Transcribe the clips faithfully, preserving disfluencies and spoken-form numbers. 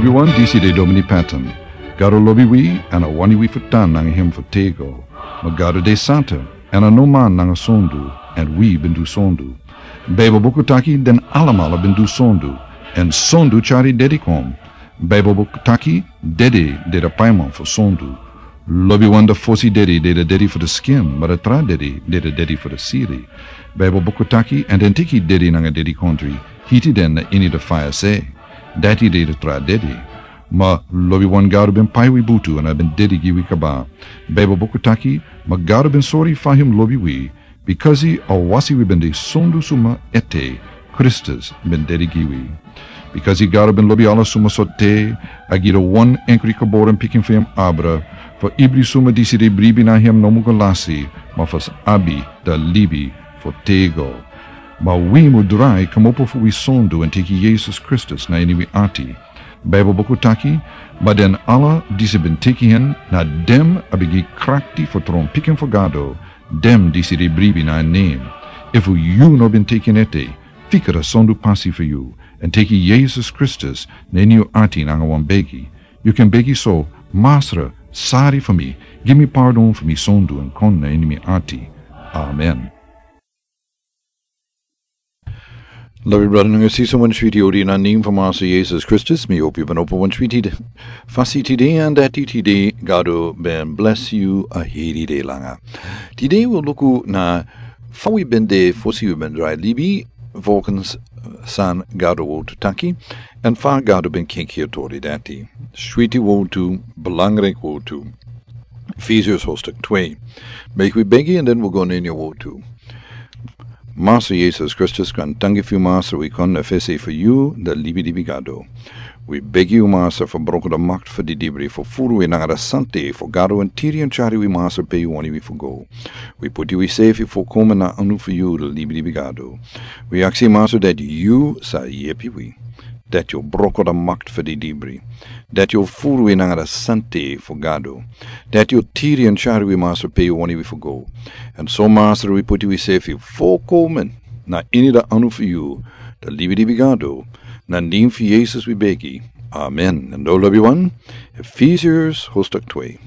Wi wan disi de Domini Patton. Gado lobi wi, èn a wani wi fu tan nanga hem fu tego. Ma Gado de santa, èn a no man nanga sondu, èn wi ben du sondu. Baibel buku taki den alamala ben du sondu, èn sondu tyari dedi kon. Baibel buku taki dede de da paiman fu sondu. Lobi wan da fosi dedi de da dedi fu da skin, ma da tra dedi de da dedi fu da siri. Baibel buku taki èn den tiki dedi nanga dedi kondri, hiti den na ini da faya se. Dati de da tra dedi. Ma lobi wan Gado ben pai wi butu èn a ben dedi gi wi kaba. Baibel buku taki, ma Gado ben sori fa hem lobi wi, bikasi a wasi wi ben de sondu suma ete, Kristus ben dedi gi wi. Bikasi Gado ben lobi ala suma sorte, a gi da wan enkri geboren pikin fu hem abra, fu ibri suma disi de bribi na hem no mu go lasi, ma fu abi da libi fu tego. Ma wi mu drai kmopo fu wi sondu èn teki Yesus Kristus na ini wi ati. Baibel buku taki, ma den ala disi ben teki hen, na den a ben gi krakti fu tron pikin fu Gado, den disi de bribi na en nen. Efu yu no ben teki en ete, fika da sondu pasi fu yu, èn teki Yesus Kristus na ini yu ati nanga wan begi. Yu kan begi so, Masra, sari fu mi, gi mi pardon fu mi sondu èn kon na ini mi ati. Amen. Lobi brada nanga sisa, wan switi odi na nen fu Masra Yesus Kristus, mi hopi yu ben opo wan switi de. Fasi tide èn dati tide, Gado ben bless yu a heri de langa. Tide wi luku na fa wi ben de fosi wi ben drai libi, volgens san Gado wortu taki, èn fa Gado ben kenki a tori dati. Switi wortu, belangrijk wortu. Efesiërs hoofdstuk twee. Meki wi begi èn den wi go na ini a wortu. Masra Yesus Kristus, kon danki fu yu Masra, wi kon na fesi fu yu, da libi libi Gado. Wi begi yu Masra fu broko da makti fu didibri, fu furu wi nanga da sante fu Gado èn tiri èn tyari wi Masra pe yu wani wi fu go. Wi puti wi sefi fu kon na anu fu yu, da libi libi Gado. Wi aksi Masra dati yu sa yepi wi. Dati yu broko da makti fu didibri. Dati yu furu wi nanga da sante fu Gado. Dati yu tiri èn tyari wi Masra pe yu wani wi fu go. Èn so Masra wi puti wi sefi fu kon na ini da anu fu yu, da libi libi Gado. Na nen fu Yesus wi begi. Amen. Èn dan lobi wan, Efesiërs hoofdstuk twee.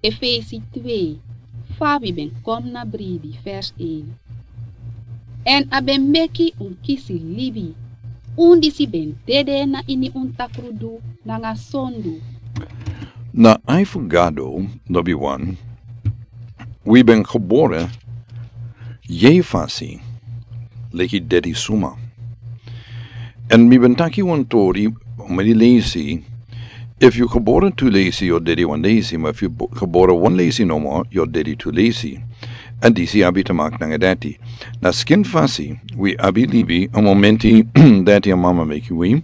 Efesi twee, fa wi ben kon na bribi, vers een. Èn a ben meki un kisi libi, un disi ben dede na ini un takrudu nanga sondu. Na ai fu Gado, lobi wan, wi ben geboren yeye fasi, leki dedi suma. Èn mi ben taki wan tori, meni leisi, efu yu geboren tu leisi, yu o dedi wan leisi, ma efu yu bo-, geboren wan leisi nomo, yu o dedi tu leisi. Èn disi abi te maki nanga dati. Na skin fasi, wi abi libi, a momenti dati a mama meki wi.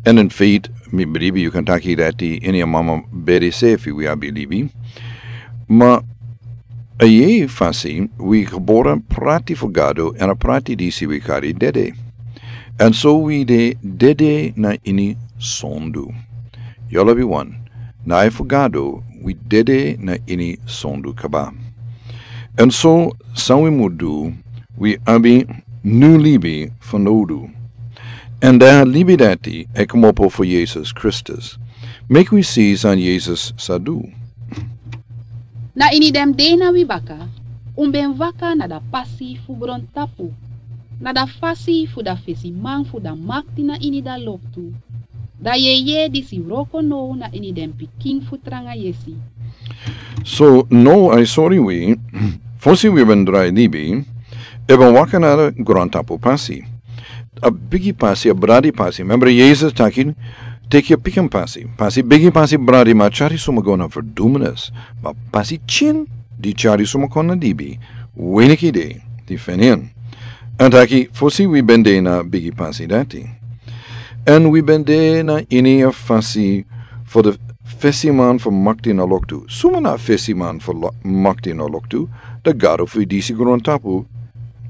Èn in feite, mi bribi yu kan taki dati, ini a mama bedi sefi wi abi libi. Ma a yeye fasi, wi geboren prati fu Gado, èn a prati disi wi kari dede. Èn so wi de dede na ini sondu. Yu lobi wan, na ai fu Gado, wi dede na ini sondu kaba. Èn so san wi mu du, wi abi nu libi fanowdu. Èn da libi dati e kmopo fu Yesus Kristus. Meki wi si san Yesus sa du. Na ini den dei na wi baka, un ben waka na da pasi fu grontapu, na da fasi fu da fesiman fu da makti na ini da loktu, da yeye disi wroko now na ini den pikin fu tranga yesi. So, now ai sori wi, fosi wi ben drai libi, e ben waka na da grontapu pasi. A bigi pasi, a bradi pasi. Member, Yesus taki, teki a pikin pasi. Pasi bigi, pasi bradi, ma tyari suma go na verdoemenis. Ma pasi pikin, di tyari suma kon na libi, weniki de, di feni en. Èn taki, fosi wi ben de na bigi pasi dati. Èn wi ben de na ini a fasi fu da fesiman fu makti na loktu. Suma na fesiman fu lo-, makti na loktu, da Gado fu disi grontapu,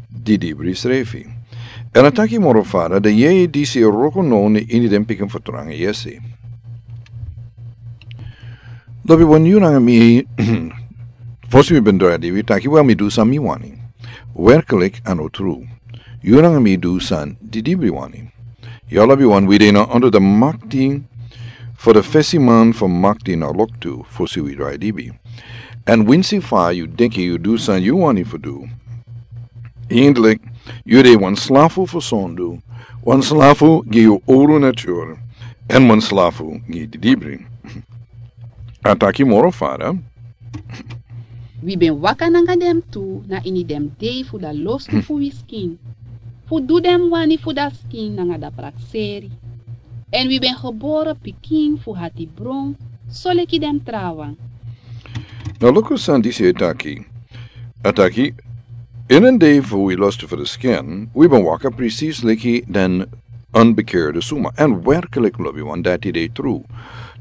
didibri srefi. Èn a taki moro fara, da yeye disi e wroko now na ini den pikin fu tranga yesi. Lobi wan, yu nanga mi, fosi wi ben drai libi, wi taki, wel, mi du san mi wani. Werkelijk, a no tru. Yu nanga mi du san di didibri wani. Yu lobiwan, wi de na under di makti fu di fesiman fu makti na loktu fosi wi drai dibi. Èn winsi fa yu denki yu du san yu wani fu du, eindelijk yu de wan slafu fu sondu, wan slafu gi yu owru natur, èn wan slafu gi didibri. A taki moro fara. Wi ben waka nanga den tu na ini den dei fu da lostu fu wi skin, fu du den wani fu da skin nanga da prakseri. Èn wi ben gebore pikin fu hati bron, soleki den trawan. Na luku san disi e taki. A taki, in den dei fu wi lostu fu da skin, wi ben waka precies leki den onbekeerde suma. Èn werkelijk lobiwan, dati de tru.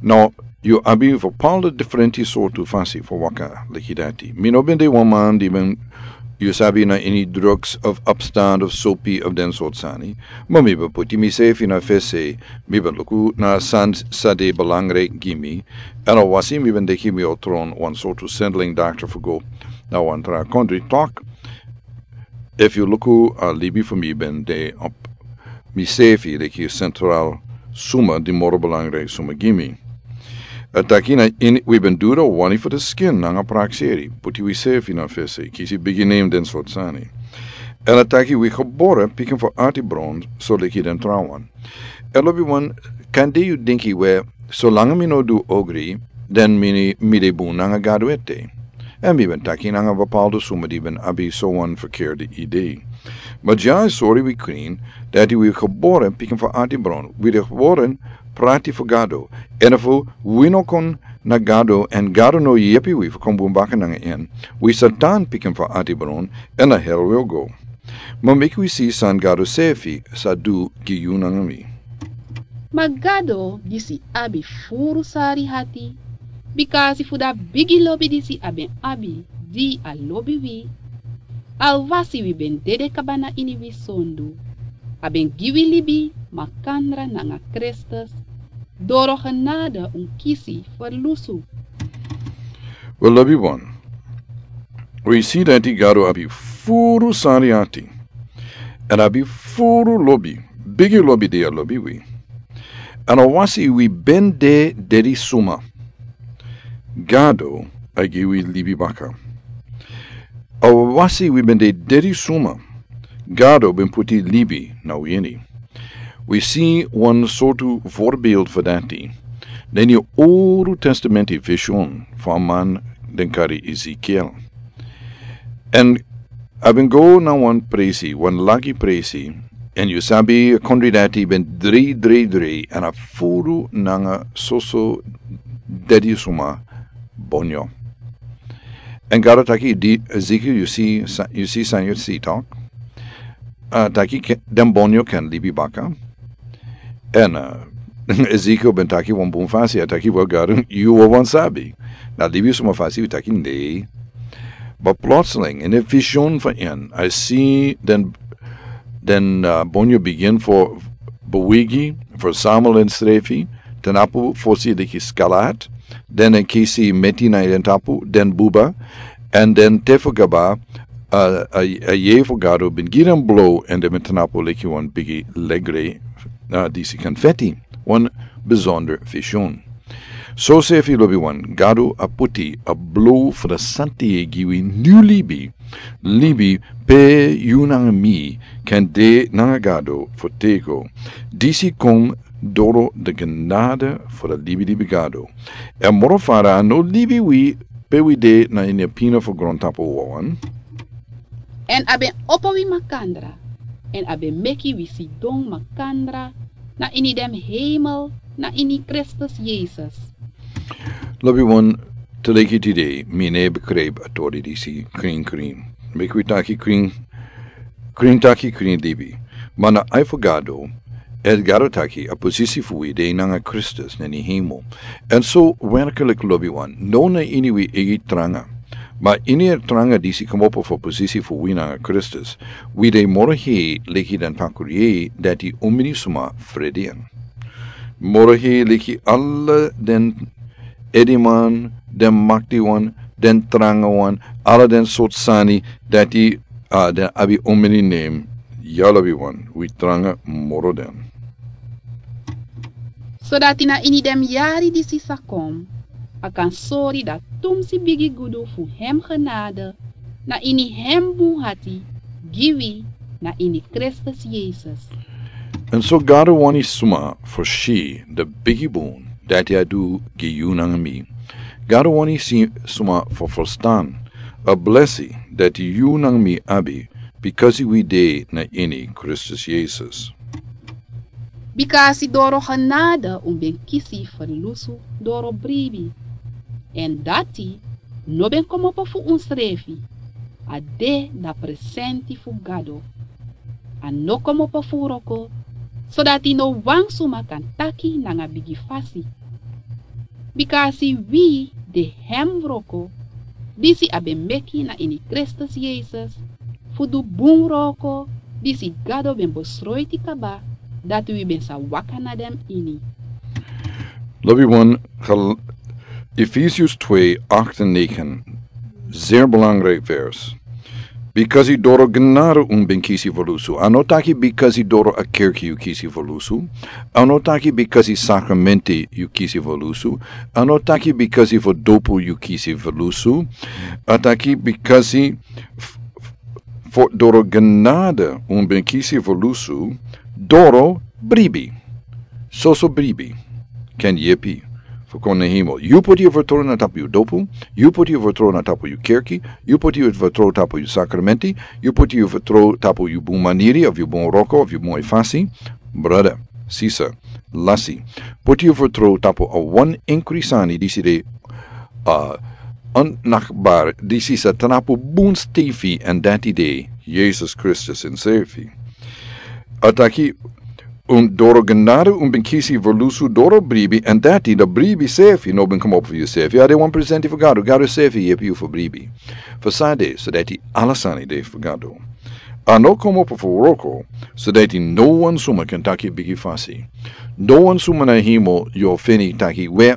Now, yu abi bepaalde diferenti sortu fasi fu waka leki dati. Mi no ben de wan man di ben, yu sabi, na ini drugs of opstand of sopi of den sortu sani. Ma mi ben puti misefi na fesi, mi ben luku na san sa de belangrijk gi mi. Èn a wasi mi ben denki mi o tron wan sortu zendeling dokter fu go na wan tra kondri tok. Efu yu luku, a libi fu mi ben de op misefi leki centraal suma di moro belangrijk suma gi mi. A taki na ini wi ben du da wani fu da skin nanga prakseri, puti wisefi na fesi, kisi bigi name, den sortu sani. Èn a taki wi gebore pikin fu ati bron, soleki den trawan. Èn lobiwan, kande yu denki we, solanga mi no du ogri, dan mi, mi de bun nanga Gado ete. Èn mi ben taki nanga bepaalde suma di ben abi so wan verkeerde idee. Ma dya e sori wi krin, dati wi gebore pikin fu ati bron, wi de gebore prati fu Gado, èn efu wi no kon na Gado, èn Gado no yepi wi fu kon bun baka nanga en, wi sa tan pikin fu ati bron, èn na hel wi o go. Ma meki wi si san Gado sefi sa du gi yu nanga mi. Ma Gado disi abi furu sari hati, bikasi fu da bigi lobi disi a ben abi, di a lobi wi, alwasi wi ben dede kaba na ini wi sondu, a ben gi wi libi makandra nanga Kristus, doro genade un kisi ferlusu. We lobiwan, wi si dati Gado abi furu sari hati. Èn a abi furu lobi, bigi lobi di a lobi wi. Èn alwasi wi ben de dedi suma, Gado a gi wi libi baka. Alwasi wi ben de dedi suma, Gado ben puti libi na wi ini. Wi si wan sortu voorbeeld fu dati den ini Owru Testamenti vision fu a man den kari Ezekiel. Èn a ben go na wan presi, wan lagi presi, èn yu sabi a kondre dati ben drei, drei, drei, èn a furu nanga soso dedi suma bonyo. Èn Gado taki, di, Ezekiel, yu si sa-, yu si san yu si, tok? A taki ke-, den bonyo kan libi baka. Èn, a, Ezekiel ben taki wan bun fasi, a taki, wel, Gado, yu wawan sabi. Na libi suma fasi wi taki, nee. But plotseling, in a vision fu en, a si den, den, a, bonyo bigin fu bewegi, fu samel ensrefi, tapu fosi leki scarlet, dan a kisi meti na den tapu, dan buba, èn dan te fu kaba, a, a, a yeye fu Gado ben gi den blo, èn den ben tapu leki wan bigi legre, a, disi confetti, wan bijzonder vision. Soseefi lobiwan, Gado a puti a blo fu da santi gi wi nyun libi, libi pe yu nanga mi kan de nanga Gado fu têgo. Disi kon doro da genade fu da libilibi Gado. Èn moro fara a no libi wi pe wi de na ini a pina fu grontapu wawan. Èn a ben opo wi makandra, èn a ben meki wi sidon makandra na ini den hemel, na ini Kristus Yesus. Lobiwan, te leki tide, mi no e begrijp a tori disi krin krin. Meki wi taki krin, krin taki krin libi. Ma na ai fu Gado, èn Gado taki a posisi fu wi de nanga Kristus na ini hemel. Èn so werkelijk lobiwan, no na ini wi eigi tranga. Ma ini a tranga disi komopo fu posisi fu wi nanga Kristus, wi de moro hei leki den pakuri dati un mini suma frede en. Moro hei leki ala den ediman, den maktiwan, den trangawan, ala den sortu sani dati, a, den abi un mini nen, Ya lobi wan, wi tranga moro den. Sodati na ini den yari disi sa kon, a kan sori dati tumsi bigi gudu fu hem genade na ini hem bun hati gi wi na ini Kristus Yesus. Èn so Gado wani suma fu si den bigi bun dati a du gi yu nanga mi. Gado wani si suma fu ferstan a blesi dati yu nanga mi abi, bikasi wi de na ini Kristus Yesus. Bikasi doro genade un ben kisi ferlusu doro bribi. Èn dati no ben komopo fu unsrefi, a de na presenti fu Gado. A no komopo fu wroko, sodati no wan suma kan taki nanga bigi fasi. Bikasi wi de hem wroko, disi a ben meki na ini Kristus Yesus, fu du bun wroko, disi Gado ben besroiti kaba, dati wi ben sa waka na den ini. Lobi wan, Gal-, Efesius twee, acht en negen. Zeer belangrijk vers. Bikasi doro genade un ben kisi ferlusu. A no taki bikasi doro a kerki yu kisi ferlusu. A no taki bikasi sakramenti yu kisi ferlusu. A no taki bikasi fu dopu yu kisi ferlusu. A taki bikasi f-, f-, fu doro genade un ben kisi ferlusu, doro bribi. Soso bribi. Ken yepi fu kon na hemel. Yu poti yu fertrow na tapu yu dopu. Yu poti yu fertrow na tapu yu kerki. Yu poti yu fertrow tapu yu sakramenti. Yu poti yu fertrow tapu yu bun maniri, of yu bun wroko, of yu bun fasi. Brada, sisa, lasi. Poti yu fertrow tapu a wan enkri sani disi de, a, onnachtbaar, disi sa tapu bun stefi, èn dati de Yesus Kristus ensrefi. A taki, un doro genade un ben kisi ferlusu doro bribi, èn dati, dan bribi sefi no ben komopo fu yusefi. A de wan presenti fu Gado, Gado sefi yepi yu fu bribi. Fu san de, sodati ala sani de fu Gado. A no komopo fu wroko, sodati no wan suma kan taki bigi fasi. No wan suma na hemel yu o feni taki we.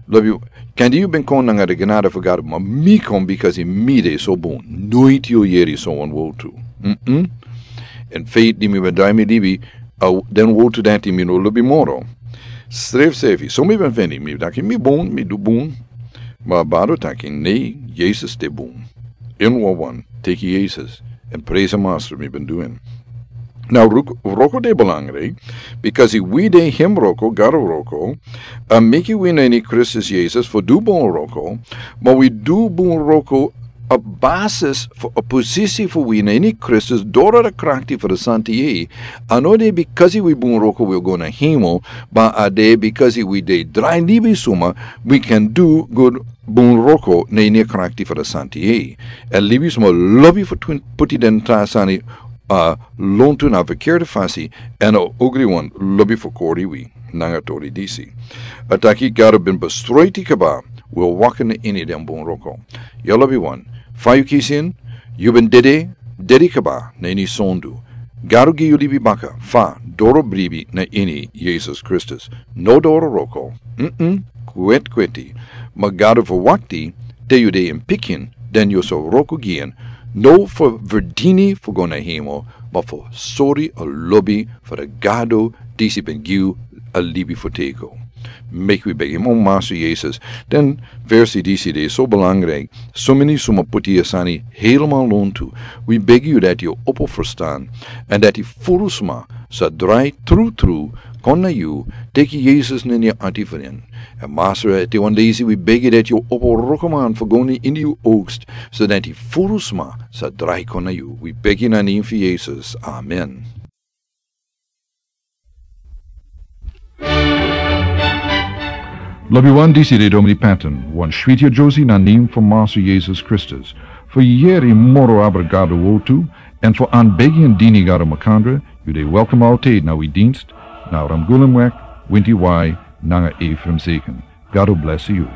Lobi, kande yu ben kon nanga den genade fu Gado, ma mi kon bikasi mi de so bun. Noiti yu o yeri so wan wowtu. Mm-mm. Èn feit di mi ben drai mi libi, a, den wowtu dati mi no lobi moro. Srefsefi, so mi ben feni, mi taki mi bun, mi du bun. Ma a Bado taki nei, Yesus de bun. Ini wawan, teki Yesus, èn presi Master mi ben du en. Now, wrok-, wroko de belangrijk, bikasi wi de hem wroko, Gado wroko, a meki wi na ini Kristus Yesus fu du bun wroko, ma wi du bun wroko a basis fu a posisi fu wi na ini Kristus doro a krakti fu a Santa Yeye. A no de bikasi wi bun wroko wi o go na hemel, ma a de bikasi wi de drai libisma, wi kan du good bun wroko na ini a krakti fu a Santa Yeye. A libisma lobi fu twin-, poti den tra sani, a, lontu na verkeerde fasi, èn a ogriwan lobi fu kori wi nanga tori disi. A taki Gado ben besroiti kaba, wi o waka na ini den bun wroko. Ya lobiwan, fa yu kisi en, yu ben dede, dede kaba na ini sondu. Gado gi yu libi baka, fa, doro bribi na ini Yesus Kristus. No doro wroko. Mm-mm, kwetkweti. Ma Gado ferwakti, te yu de en pikin, den yu sa wroko gi en. No fu verdini fu go na hemel, ma fu sori a lobi fu a Gado disi ben gi yu a libi fu teki. Meki wi begi, o Master Yesus. Den versi disi de so belangrijk. So meni suma poti a sani helemaal lontu. Wi begi yu dati yu opo ferstan. Èn dati furu sma sa drai trutru kon na yu, teki Yesus na ini yu ati fu den. Èn Master, te wan leisi wi begi dati yu opo wrokoman fu go na ini yu oogst, so dati furu sma sa drai kon na yu. Wi begi na nen fu Yesus. Amen. Lobiwan, disi de Domini Patton, wan switi a Josie na nen fu Master Yesus Kristus. Fu yeri moro abra Gado wowtu, èn fu anbegi èn dini Gado makandra, yu de welkom altijd na wi dienst, na Ramgulemweg, Winti Wai, nanga Ephraim Zeken. Gado blesi yu.